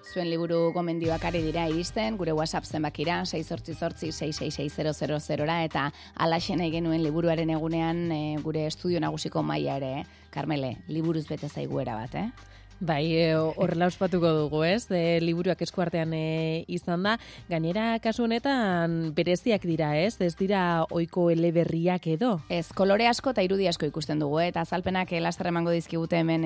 Zuen liburu gomendioak ari dira iristen, gure WhatsApp zenbakira, 688-666-000 eta alaxen nahi genuen liburuaren egunean gure estudio nagusiko maila ere, Karmele, liburuz bete zaiguera bat, Bai, horrela ospatuko dugu, ez? Liburuak eskuartean izan da. Gainera, kasu honetan, bereziak dira, ez? Ez dira ohiko eleberriak edo? Ez, kolore asko eta irudi asko ikusten dugu, eta azalpenak laster emango dizkigute hemen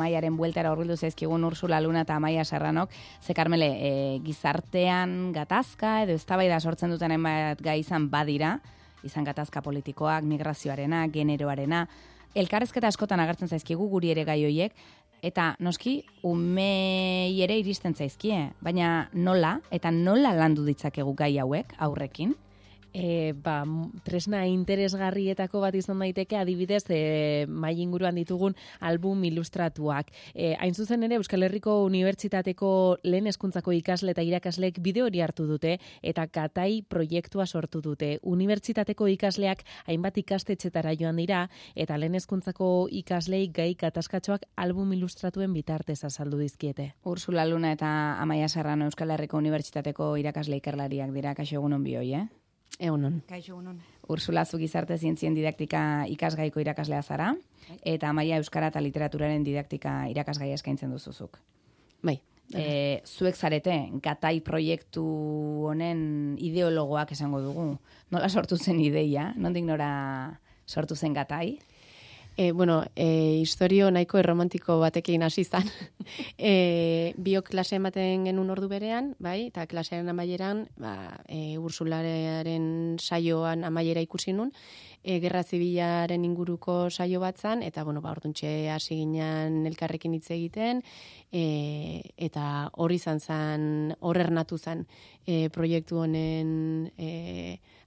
Maiaren bueltara horbildu zaizkigun Ursula Luna eta Maia Serranok. Ze, Karmele, gizartean gatazka edo eztabaida sortzen duten hainbat gai izan badira, izan gatazka politikoak, migrazioarena, generoarena, elkarrezketa askotan agertzen zaizkigu guri ere gai hoiek, eta noski umei ere iristen zaizkie, baina nola landu ditzakegu gai hauek aurrekin? Tresna interesgarrietako bat izan daiteke, adibidez, mai inguruan ditugun album ilustratuak. Hain zuzen ere, Euskal Herriko Unibertsitateko lehen hezkuntzako ikasle eta irakasleek bide hori hartu dute, eta Gatai proiektua sortu dute. Unibertsitateko ikasleak hainbat ikastetxetara joan dira, eta lehen hezkuntzako ikaslei gai gatazkatxoak album ilustratuen bitartez azaldu dizkiete. Ursula Luna eta Amaia Serrano Euskal Herriko Unibertsitateko irakasle ikerlariak dira, kaixo egunon bioi, Egunon. Kaixo egunon. Ursula, zu gizarte zientzien didaktika ikasgaiko irakaslea zara, eta Amaia euskara eta literaturaren didaktika irakasgaia eskaintzen duzuzuk. Bai. Zuek zarete, Gatai proiektu honen ideologoak esango dugu. Nola sortu zen ideia? Nondik nora sortu zen Gatai? Historio nahiko erromantiko batekin hasi zan. Biok klase ematen genuen ordu berean, bai, eta klasearen amaieran, Ursularen saioan amaiera ikusi nun, Gerra Zibilaren inguruko saio bat zan, eta, orduntxe hasi ginen elkarrekin hitz egiten, eta hori zan, horrernatu zan proiektu honen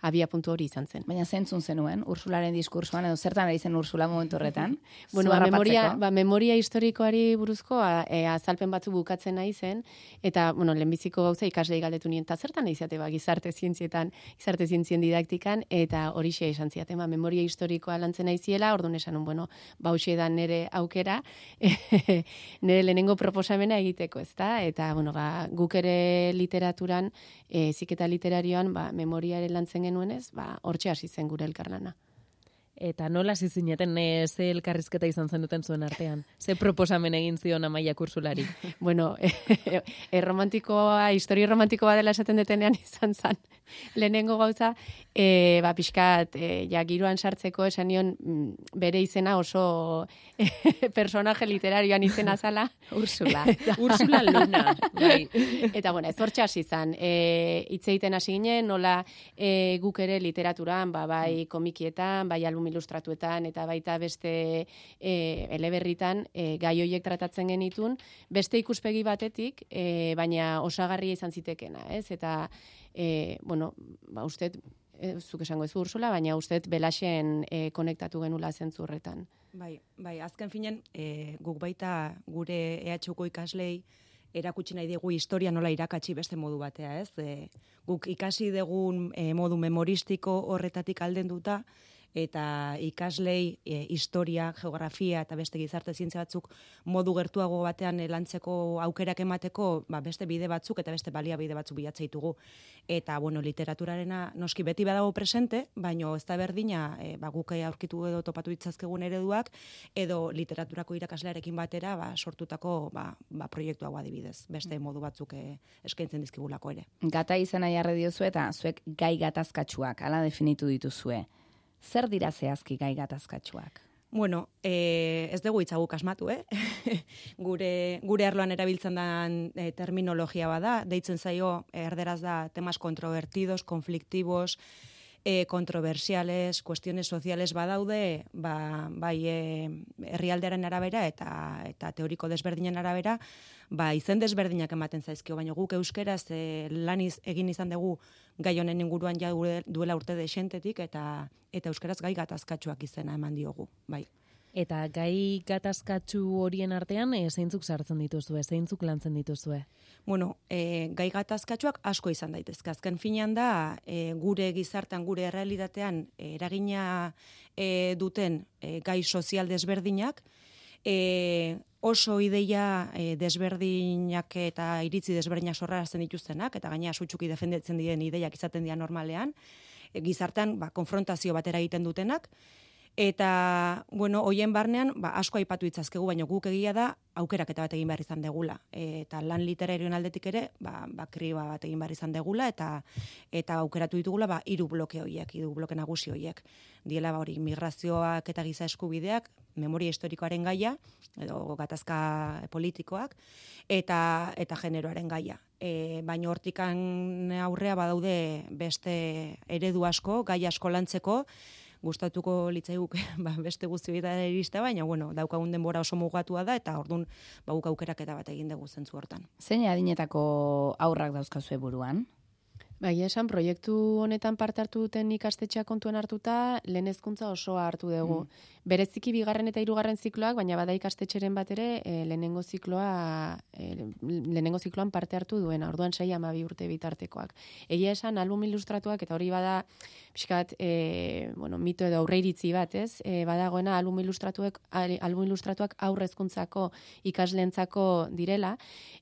abia puntu hori izan zen. Baina zentzun zenuen, Ursularen diskursoan, edo zertan ari zen Ursula momentu horretan? Memoria historikoari buruzko azalpen batzu bukatzen nahi zen, eta, lehenbiziko gauza ikaslei galdetu nien, eta zertan nahi zate, gizarte zientzien didaktikan, eta horixe esan ziaten, memoria historikoa lantzen nahi ziela, orduan esan, hoxe da nire aukera, nire lehenengo proposamena egiteko, ezta? Eta, guk ere literaturan, ziketa literarioan, memoriaren lantzen genuenez, hortxe hasi zen gure elkarlana. Eta nola hasi zineten ze elkarrizketa izan zen duten zuen artean? Ze proposamen egin zion Amaia Ursulari? Historio romantikoa dela esaten detenean izan zen. Lehenengo gauza, pixkat, giroan sartzeko esan nion bere izena oso personaje literarioan izena zala. Ursula. Ursula Luna. Bai. Eta, ez hortxe hasi zan. Hitz egiten hasi ginen, nola guk ere literaturan, bai komikietan, bai album ilustratuetan, eta baita beste eleberritan gai hoiek tratatzen genitun, beste ikuspegi batetik, baina osagarria izan zitekena, ez? Eta, uste, zuk esango ez Ursula, baina uste belaxen konektatu genula zentzurretan. Bai, azken finen, guk baita gure EHUko ikaslei erakutsi nahi dugu historia nola irakatsi beste modu batea, ez? Guk ikasi dugun modu memoristiko horretatik aldenduta, eta ikaslei historia, geografia eta beste gizarte zientzia batzuk modu gertuago batean lantzeko aukerak emateko, beste bide batzuk eta beste baliabide batzuk bilatzen ditugu. Eta, literaturarena noski beti badago presente, baino ez da berdina, guk aurkitu edo topatu ditzazkegun ereduak, edo literaturako irakaslearekin batera sortutako proiektuago adibidez, beste modu batzuk eskaintzen dizkigulako ere. Gatai izena jarri diozu eta zuek gai gatazkatsuak, hala definitu dituzue. Zer dira zehazki gai gatazkatsuak? Ez dugu hitzaguk asmatu, Gure arloan erabiltzen den terminologia bada, deitzen zaio erderaz da temas controvertidos, conflictivos, kontroversiales, cuestiones sociales badaude, bai herrialdearen arabera eta teoriko desberdinen arabera, izen desberdinak ematen zaizkio, baina guk euskeraz laniz egin izan dugu gai honen inguruan ja duela urte desentetik eta euskeraz gai gatazkatsuak izena eman diogu, bai. Eta gai gatazkatsu horien artean zeintzuk sartzen dituzue, zeintzuk lantzen dituzue? Gai gatazkatsuak asko izan daitezke. Azken finean da, gure gizartean, gure errealitatean eragina duten gai sozial desberdinak, oso ideia desberdinak eta iritzi desberdinak sorrarazten dituztenak, eta gainera sutsuki defendatzen diren ideiak izaten dira normalean, gizartean konfrontazio batera egiten dutenak, eta, bueno, hoien barnean, asko aipatu itzazkegu, baina guk egia da, aukeraketa bat egin behar izan degula. Eta lan literarioen aldetik ere, kriba bat egin behar izan degula, eta aukeratu ditugula, 3 bloke horiek, 3 bloke nagusi horiek. Diela, hori, migrazioak eta giza eskubideak, memoria historikoaren gaia, edo gatazka politikoak, eta generoaren gaia. Baina hortikan aurrea badaude beste eredu asko, gai asko lantzeko, gustatuko litzaiguk beste guztietara iriste, baina bueno, daukagun denbora oso mugatua da, eta ordun guk aukeraketa bat egin dugu zentzu hortan. Zein adinetako haurrak dauzkazue buruan? Bai, esan proiektu honetan parte hartu duten ikastetxea kontuan hartuta, lehen hezkuntza osoa hartu dugu. Bereziki 2. eta 3. zikloak, baina bada ikastetxeren bat ere lehenengo zikloan parte hartu duena, orduan 6-12 urte bitartekoak. Egia esan, album ilustratuak, eta hori bada, pixkat, mito edo aurreiritzi bat, ez? Badagoena album ilustratuak aurre hezkuntzako ikasleentzako direla,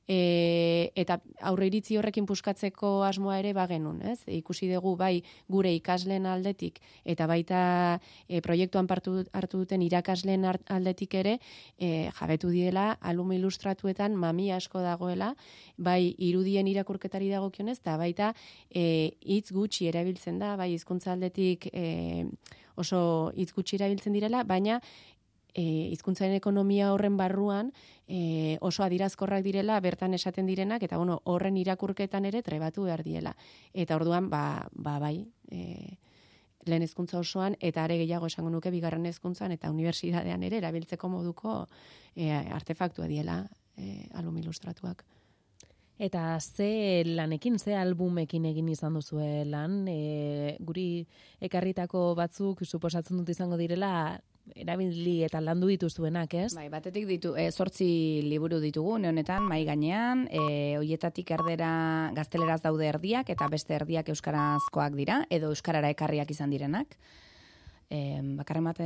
eta aurreiritzi horrekin puskatzeko asmoa ere bagenun, ez? Ikusi dugu bai gure ikasleen aldetik eta baita proiektuan hartu duten irakasleen aldetik ere jabetu diela album ilustratuetan mamia asko dagoela, bai irudien irakurketari dagokionez eta baita hitz gutxi erabiltzen da, bai hizkuntza aldetik oso hitz gutxi erabiltzen direla, baina hizkuntzaren ekonomia horren barruan oso adirazkorrak direla bertan esaten direnak, eta bueno, horren irakurketan ere trebatu behar diela. Eta orduan, bai, lehen hezkuntza osoan, eta are gehiago esango nuke 2. hezkuntzan eta unibertsitatean ere erabiltzeko moduko artefaktua diela album ilustratuak. Eta ze lanekin, ze albumekin egin izan duzue lan, guri ekarritako batzuk suposatzen dut izango direla erabili eta landu dituzuenak, ez? Bai, batetik 8 liburu ditugu honetan mai gainean, hoietatik erdera gazteleraz daude erdiak eta beste erdiak euskarazkoak dira edo euskarara ekarriak izan direnak. Bakarren bat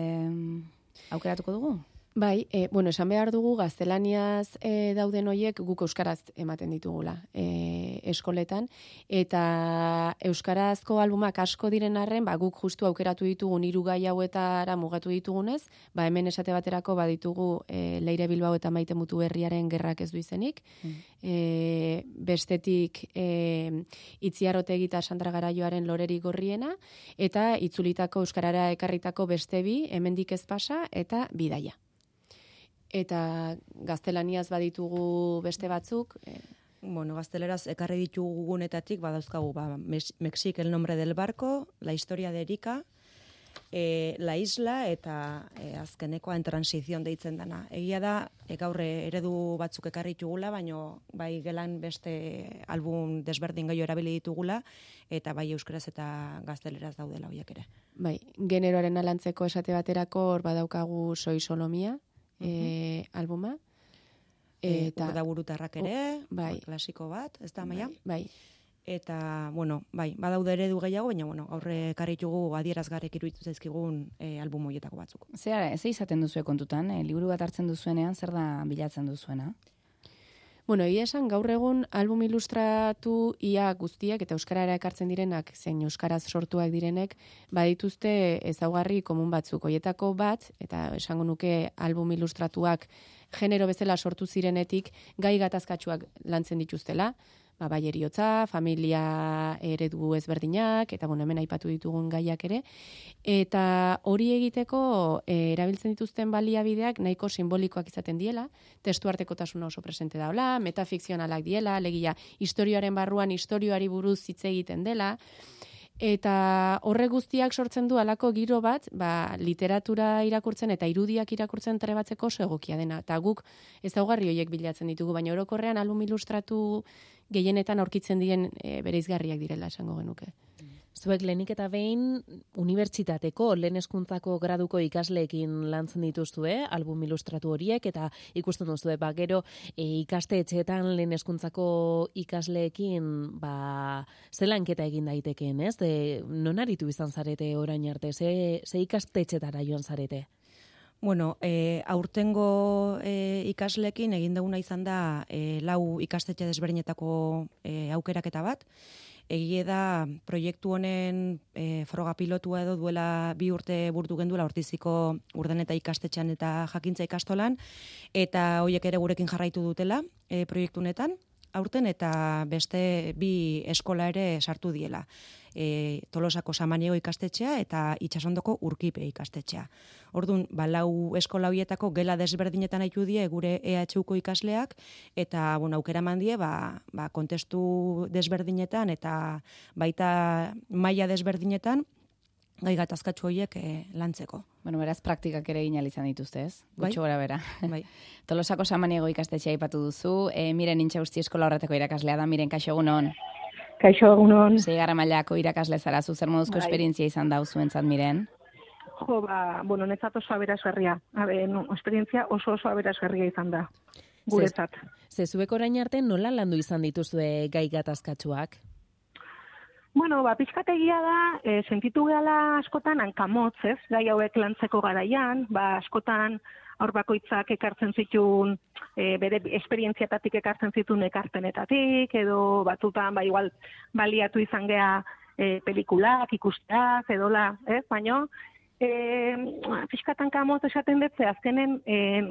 aukeratuko dugu? Bai, esan behar dugu gaztelaniaz dauden hoiek guk euskaraz ematen ditugula eskoletan, eta euskarazko albumak asko diren arren, guk justu aukeratu ditugun 3 gai hauetara mugatu ditugunez, hemen esate baterako baditugu Leire Bilbao eta Maite Mutuberriaren Gerrak ez du izenik, bestetik Itziar Otegi eta Sandra Garaioaren Loreri Gorriena, eta itzulitako euskarara ekarritako beste 2, Hemendik ez pasa eta Bidaia. Eta gaztelaniaz baditugu beste batzuk. Bueno, gazteleraz ekarri ditugu gunetatik, badauzkagu, Mexik, El nombre del barco, La historia de Erika, La isla, eta azkenekoa En transición deitzen dana. Egia da, gaur eredu batzuk ekarri ditugula, baina bai gelan beste album desberdin gehiago erabili ditugula, eta bai euskaraz eta gazteleraz daudela horiek ere. Bai, generoaren alantzeko esate baterako hor badaukagu Soy Solomia, albuma. Eta da burutarrak ere, bai, klasiko bat, ez da, Maia? Bai. Eta, bueno, bai, badaude eredu gehiago, baina, bueno, aurre karritugu adierazgarrek iruditu zaizkigun album hoietako batzuk. Ze izaten duzue kontutan, liburu bat hartzen duzuenean, zer da bilatzen duzuena? Bueno, egia esan, gaur egun album ilustratu ia guztiak eta euskarara ekartzen direnak, zein euskaraz sortuak direnek, badituzte ezaugarri komun batzuk. Hoietako bat, eta esango nuke album ilustratuak genero bezala sortu zirenetik, gai gatazkatsuak lantzen dituztela, bai heriotza, familia eredu ezberdinak, eta hemen aipatu ditugun gaiak ere, eta hori egiteko erabiltzen dituzten baliabideak nahiko simbolikoak izaten diela, testu artekotasuna oso presente daula, metafikzionalak diela, alegia historioaren barruan historioari buruz hitz egiten dela, eta horre guztiak sortzen du halako giro bat, literatura irakurtzen eta irudiak irakurtzen trebatzeko oso egokia dena. Eta guk ezaugarri horiek bilatzen ditugu, baina orokorrean album ilustratu gehienetan aurkitzen diren bereizgarriak direla esango genuke. Zuek lehenik eta behin unibertsitateko lehen hezkuntzako graduko ikasleekin lantzen dituzue, album ilustratu horiek, eta ikusten duzue, gero ikastetxeetan lehen hezkuntzako ikasleekin ze lanketa egin daitekeen, ez? Non aritu izan zarete orain arte, ze ikastetxetara joan zarete? Bueno, aurtengo ikaslekin egin duguna izan da 4 ikastetxe desberdinetako aukeraketa bat. Egie da proiektu honen froga pilotua edo duela 2 urte burtu genduela Ortiziko Urdaneta ikastetxean eta Jakintza ikastolan, eta horiek ere gurekin jarraitu dutela proiektu honetan aurten, eta beste 2 eskola ere sartu diela. Tolosako Samaniego ikastetxea eta Itsasondoko Urkipe ikastetxea. Orduan, 4 eskola horietako gela desberdinetan haitu die gure EHUko ikasleak, eta aukera eman die kontestu desberdinetan eta baita maila desberdinetan gai gatazkatsu horiek lantzeko. Bueno, beraz, praktikak ere egin izan dituzte, ez? Bai. Gutxo gora bera. Bai. Tolosako Samaniego ikastetxea aipatu duzu, Miren Intxausti eskola horretako irakaslea da. Miren, kaixo egunon. Kaixo egunon. 6. mailako irakasle zara, zu zer moduzko esperientzia izan da zuentzat, Miren? Jo, netzat oso aberasgarria. Esperientzia oso aberasgarria izan da. Guretzat. Zezuek orain arte nola landu izan dituzue gai gatazkatsuak? Bueno, pixkategia da, sentitu gehala askotan hankamotz, ez? Gai hauek lantzeko garaian, askotan aur bakoitzak ekartzen zituen, bere esperientziatatik ekartzen zituen ekarpenetatik, edo batzutan, igual, baliatu izan gea pelikulak, ikusteak, edola, ez? Baina, pixkatan kamotz esaten dutze, azkenen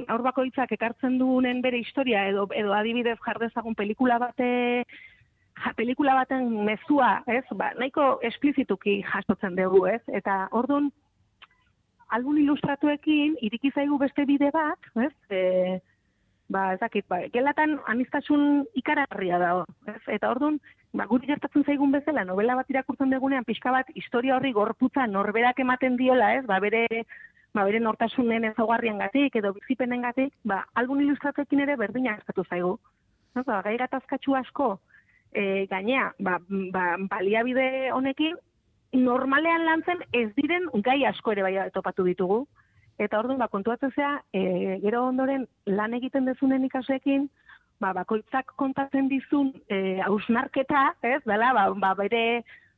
aur bakoitzak ekartzen duenen bere historia, edo adibidez jardezagun pelikula baten mezua, ez? Nahiko esplizituki jasotzen dugu, ez? Eta orduan, album ilustratuekin iriki zaigu beste bide bat, ez? Gelatan aniztasun ikaragarria dago, ez? Eta orduan, guri gertatzen zaigun bezala, novela bat irakurtzen dugunean, pixka bat historia horri gorputza norberak ematen diola, ez? Bere nortasunen ezaugarriengatik edo bizipenengatik, album ilustratuekin ere berdina gertatu zaigu. Gai gatazkatsu asko, gainea, baliabide honekin, normalean lantzen ez diren gai asko ere bai topatu ditugu. Eta orduan, kontuatzen zea, gero ondoren lan egiten dezunen ikasleekin, bakoitzak kontatzen dizun hausnarketa, ez, dela,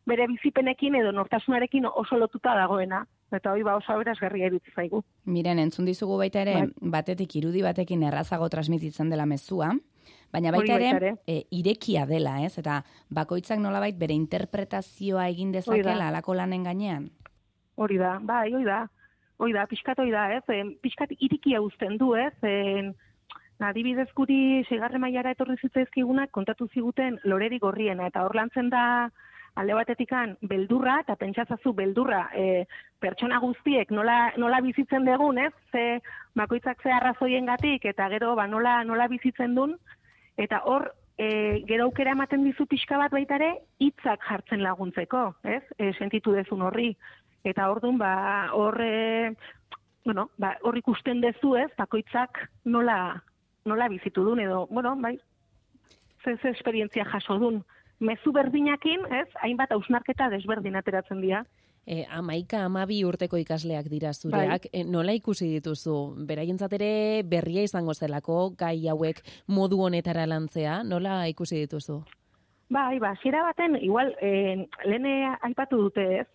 bere bizipenekin edo nortasunarekin oso lotuta dagoena. Eta hori oso aberasgarria iruditzen zaigu. Miren, entzun dizugu baita ere, batetik irudi batekin errazago transmititzen dela mezua, baina baita ere, irekia dela, ez? Eta bakoitzak nolabait bere interpretazioa egin dezakela alako lanen gainean? Hori da, pixkat hori da, ez? Pixkat irikia uzten du, ez? Adibidez guri 6. mailara etorri zitzaizkigunak kontatu ziguten Loreri Gorriena, eta hor lantzen da alde batetikan beldurra, eta pentsatzazu beldurra pertsona guztiek nola bizitzen dugun, ez? Bakoitzak ze arrazoiengatik eta gero nola bizitzen duen, eta hor gero aukera ematen dizu pixka bat baita ere hitzak jartzen laguntzeko, ez? Sentitu dezun horri. Eta orduan hor ikusten dezu, ez? Bakoitzak nola bizitu duen edo, ze esperientzia jaso duen. Mezu berdinakin, ez? Hainbat hausnarketa desberdin ateratzen dira. 11-12 urteko ikasleak dira zureak, nola ikusi dituzu? Beraientzat ere berria izango zelako gai hauek modu honetara lantzea, nola ikusi dituzu? Hasiera baten, igual, lehen aipatu dute, ez,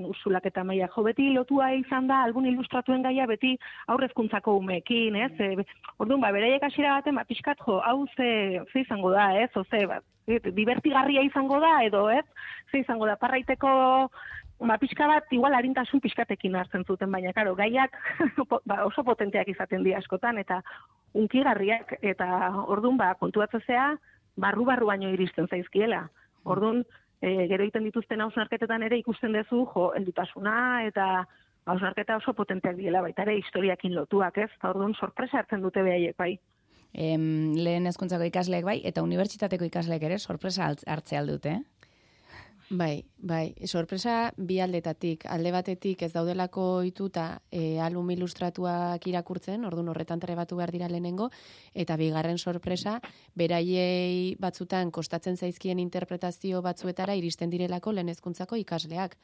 Ursulak eta Maia, beti lotua izan da, album ilustratuen gaia beti aurrezkuntzako umeekin, ez, orduan, beraiek hasiera baten, pixkat, hau ze izango da, ez, divertigarria izango da, edo, ez, ze izango da, parraiteko, pixka bat, igual, harintasun pixkatekin hartzen zuten, baina, karo, gaiak oso potenteak izaten dira askotan, eta unkigarriak, eta orduan, kontuatzea, barru baino iristen zaizkiela. Orduan, gero egiten dituzten hausnarketetan ere ikusten duzu, heldutasuna eta hausnarketa oso potenteak diela, baita ere historiakin lotuak, ez? Orduan, sorpresa hartzen dute behaiek, bai. Lehen hezkuntzako ikasleek bai, eta unibertsitateko ikasleek ere sorpresa hartzea aldute, Bai, sorpresa bi aldetatik. Alde batetik ez daudelako ohituta album ilustratuak irakurtzen, orduan horretan trebatu behar dira lehenengo, eta bigarren sorpresa, beraiei batzutan kostatzen zaizkien interpretazio batzuetara iristen direlako lehen hezkuntzako ikasleak.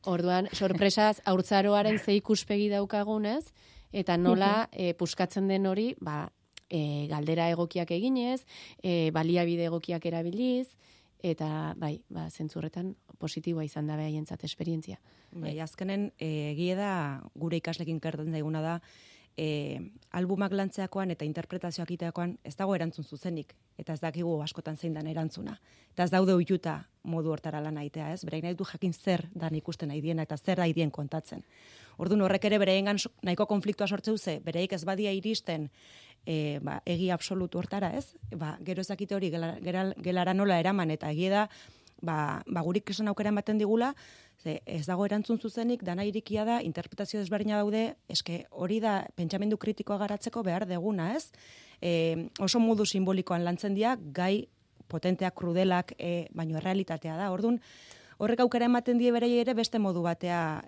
Orduan, sorpresaz, haurtzaroaren ze ikuspegi daukagunez, eta nola puskatzen den hori, galdera egokiak eginez, baliabide egokiak erabiliz, eta bai, zentzurretan positiboa izan da behaientzat esperientzia. Bai, azkenen egia da gure ikaslekin gertatzen zaiguna da albumak lantzeakoan eta interpretazioak iteakoan ez dago erantzun zuzenik eta ez dakigu askotan zein dan erantzuna. Eta ez daude ohituta modu hortara lan egitea, ez? Bereik nahi du jakin zer dan ikusten nahi diena eta zer nahi dien kontatzen. Orduan horrek ere beraiengan nahiko konfliktua sortze duze, bereik ez badia iristen egi absolutu hortara, ez? Gero ezakite hori gelara nola eraman eta egia da gurik esan aukera ematen digula, ez dago erantzun zuzenik, dana irikia da, interpretazio desberdina daude, eske hori da pentsamendu kritikoa garatzeko behar deguna, ez? Oso modu simbolikoan lantzen dira, gai potenteak, krudelak, baino errealitatea da. Orduan, horrek aukera ematen die berei ere beste modu batea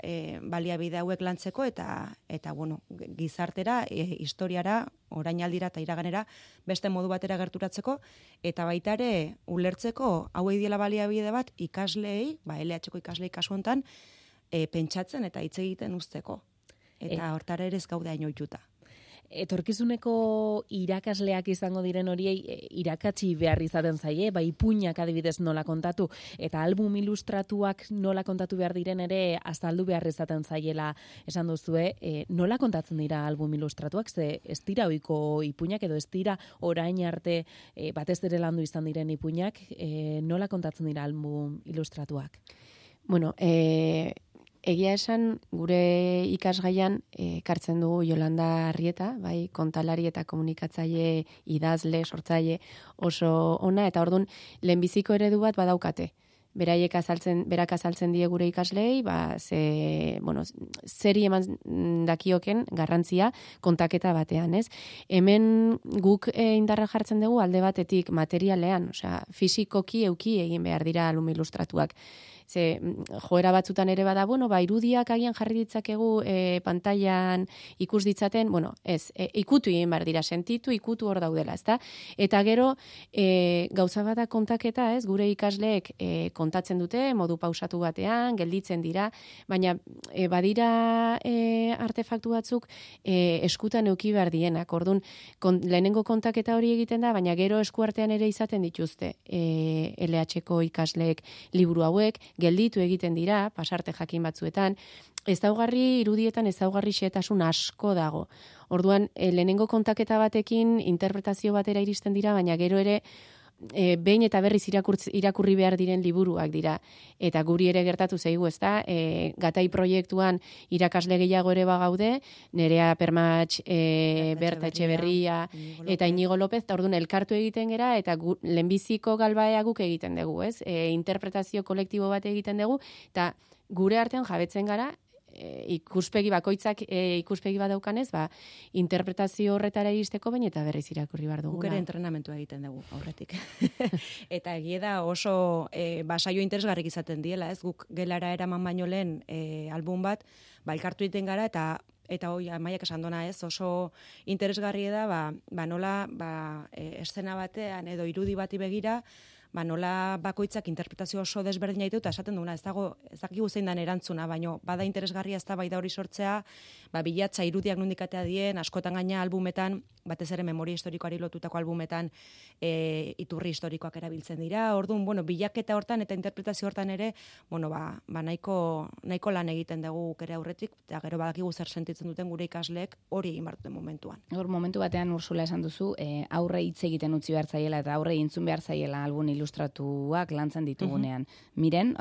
baliabide hauek lantzeko eta bueno, gizartera, historiara, orainaldira eta iraganera beste modu batera gerturatzeko eta baita ere ulertzeko hauei diela baliabide bat ikasleei, LH-ko ikasleei kasu hontan pentsatzen eta hitz egiten uzteko. Eta hortara ere ez gaude hain ohituta. Etorkizuneko irakasleak izango diren horiei irakatsi behar izaten zaie, ipuinak adibidez nola kontatu, eta album ilustratuak nola kontatu behar diren ere azaldu behar izaten zaiela esan duzue, nola kontatzen dira album ilustratuak, ze ez dira ohiko ipuinak edo ez dira orain arte batez ere landu izan diren ipuinak, nola kontatzen dira album ilustratuak? Bueno, egia esan, gure ikasgaian ekartzen dugu Yolanda Arrieta, bai, kontalari eta komunikatzaile, idazle, sortzaile oso ona, eta orduan lehenbiziko eredu bat badaukate. Berak azaltzen die gure ikasleei, zeri eman dakioken garrantzia kontaketa batean, ez? Hemen guk indarra jartzen dugu alde batetik materialean, osea, fisikoki euki egin behar dira album ilustratuak. Ze joera batzutan ere bada, irudiak agian jarri ditzakegu pantailan ikus ditzaten, ez, ikutu egin behar dira, sentitu, ikutu hor daudela, ezta? Eta gero, gauza bada kontaketa, ez, gure ikasleek kontatzen dute, modu pausatu batean, gelditzen dira, baina badira artefaktu batzuk eskutan euki behar dienak. Orduan, lehenengo kontaketa hori egiten da, baina gero eskuartean ere izaten dituzte LH-ko ikasleek liburu hauek, gelditu egiten dira, pasarte jakin batzuetan, ezaugarri irudietan ezaugarri xehetasun asko dago. Orduan, lehenengo kontaketa batekin interpretazio batera iristen dira, baina gero ere behin eta berriz irakurri behar diren liburuak dira. Eta guri ere gertatu zaigu, ezta? Gatai proiektuan irakasle gehiago ere bagaude, Nerea Permatx, Berta Etxeberria eta Inigo López, eta orduan elkartu egiten gera, eta lehenbiziko galbaea guk egiten dugu, ez? Interpretazio kolektibo bat egiten dugu, eta gure artean jabetzen gara, ikuspegi bakoitzak ikuspegi bat daukanez, interpretazio horretara iristeko baina eta berriz irakurri behar dugu. Guk ere entrenamentua egiten dugu aurretik. Eta egia da oso saio interesgarrik izaten diela, ez? Guk gelara eraman baino lehen album bat, elkartu egiten gara eta hoi Amaiak esan dona, ez? Oso interesgarri da, nola eszena batean edo irudi bati begira, nola bakoitzak interpretazio oso desberdina ditu eta esaten duguna, ez dakigu zein dan erantzuna, baino bada interesgarria ez da bai da hori sortzea, bilatza irudiak nondikatea dien, askotan gaina albumetan, batez ere memoria historikoari lotutako albumetan iturri historikoak erabiltzen dira. Orduan, bilaketa hortan eta interpretazio hortan ere, nahiko lan egiten dugu ere aurretik, eta gero badakigu zer sentitzen duten gure ikasleek hori egin behar duten momentuan. Momentu batean Ursula esan duzu, aurre hitz egiten utzi behar zaiela eta aurre entzun behar zaiela album ilustratuak lantzen ditugunean. Miren,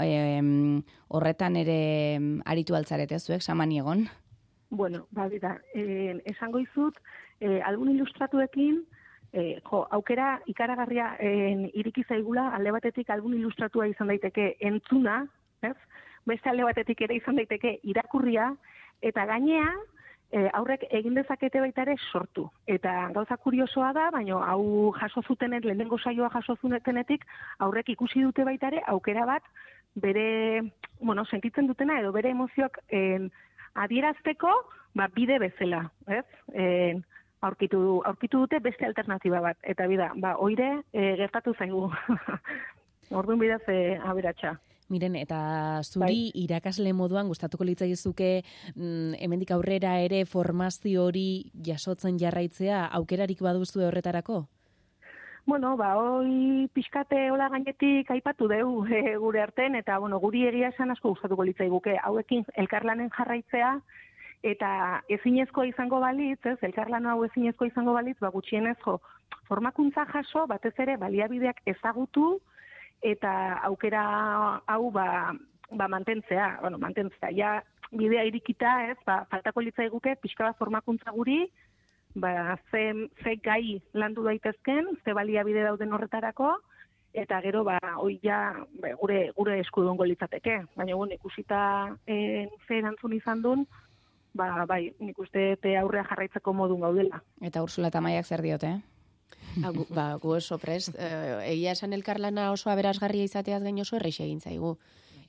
horretan ere aritu altzarete zuek, Samaniegon? Bueno, esango izut, album ilustratuekin, aukera ikaragarria iriki zaigula, alde batetik album ilustratua izan daiteke entzuna, ez? Beste alde batetik ere izan daiteke irakurria, eta gainea, aurrek egin dezakete baita ere sortu. Eta gauza kuriosoa da, baina hau jaso zutenet, lehenengo saioa jaso zutenetik, aurrek ikusi dute baita ere, aukera bat, bere, sentitzen dutena, edo bere emozioak adierazteko, bide bezala, ez? Aurkitu dute beste alternatiba bat. Eta oire gertatu zaigu. Orduan bidez aberatsa. Miren, eta zuri irakasle moduan gustatuko litzaizuke hemendik aurrera ere formazio hori jasotzen jarraitzea aukerarik baduzu horretarako? Bueno, hoi pixkate hola gainetik aipatu deu gure arten, eta guri egia esan asko gustatuko litzaiguke hauekin elkarlanen jarraitzea, eta ezinezkoa izango balitz, elkarlan hau ezinezkoa izango balitz, gutxienez formakuntza jaso, batez ere baliabideak ezagutu, eta aukera hau mantentzea, ja bidea irikita, faltako litzaiguke pixka bat formakuntza guri, ze gai landu daitezken, ze baliabide dauden horretarako, eta gero hoi ja gure eskudungo litzateke. Baina ikusita ze erantzun izan duen, bai, nik uste aurrea jarraitzeko modun gaudela. Eta Ursula eta Maiak zer diote? Gu oso prest. Egia esan elkarlana oso aberasgarria izateaz gain oso errexe egin zaigu.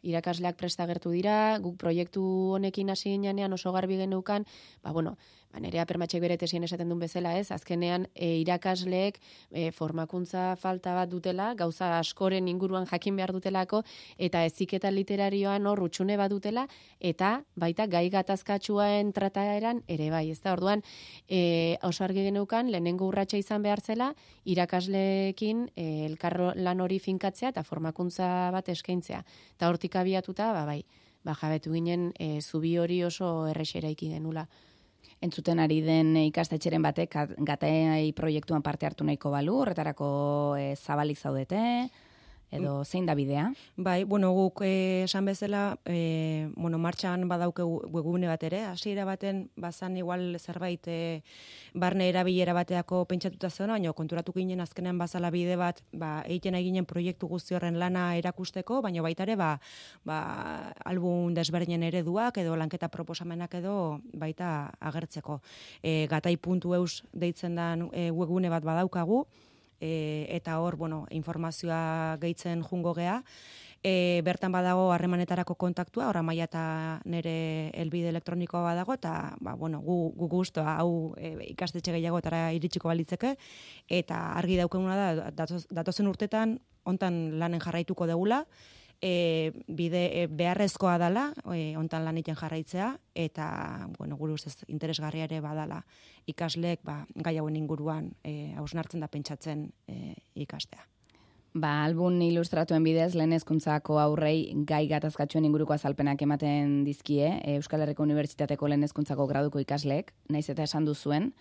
Irakasleak presta agertu dira, guk proiektu honekin hasi ginean oso garbi geneukan, Nerea Permatxek bere tesien esaten duen bezala, azkenean irakasleek formakuntza falta bat dutela, gauza askoren inguruan jakin behar dutelako, eta heziketa literarioan hor utxune bat dutela, eta baita gai gatazkatsuaen trataeran ere bai, ez da, orduan oso argi geneukan, lehenengo urratsa izan behar zela, irakasleekin elkarlan hori finkatzea eta formakuntza bat eskaintzea. Eta hortik abiatuta, jabetu ginen zubi hori oso errexera iki genula. Entzuten ari den ikastetxeren batek Gatai proiektuan parte hartu nahiko balu, horretarako zabalik zaudete, edo zein da bidea? Bai, guk esan bezala, martxan badauke webgune bat ere, hasiera baten bazan igual zerbait barne erabilera bateako pentsatuta zeona, baina konturatu ginen azkenean bazala bide bat, egiten eginen proiektu guzti horren lana erakusteko, baina baita ere, album desberdinen ereduak edo lanketa proposamenak edo baita agertzeko. Gatai.eus deitzen den webgune bat badaukagu, eta hor, informazioa gehitzen jungo gea. Bertan badago harremanetarako kontaktua, hor Maia eta nire helbide elektronikoa badago, eta gu guztua hau ikastetxe gehiagotara iritsiko balitzeke, eta argi daukaguna da, datozen urtetan, hontan lanen jarraituko degula, bide beharrezkoa dala, hontan lan egiten jarraitzea, eta gure ustez interesgarria ere badala ikasleek gai hauen inguruan hausnartzen da pentsatzen ikastea. Album ilustratuen bidez, lehen hezkuntzako aurrei gai gatazkatxuen inguruko azalpenak ematen dizkie, Euskal Herriko Unibertsitateko lehen hezkuntzako graduko ikasleek, naiz eta esan duzuen,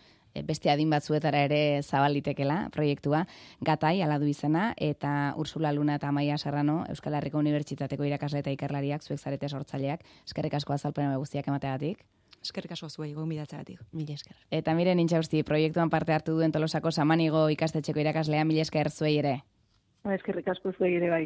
beste adin batzuetara ere zabalitekela proiektua, Gatai ala du izena, eta Ursula Luna eta Maia Serrano, Euskal Herriko Unibertsitateko irakasle eta ikerlariak, zuek zarete sortzaileak, eskerrik asko azalpena guztiak emateagatik. Eskerrik asko zuei, gonbidatzeagatik. Mila esker. Eta Miren Intxausti, proiektuan parte hartu duen Tolosako Samanigo ikastetxeko irakaslea, mila esker zuei ere. Eskerrik asko zuei ere bai.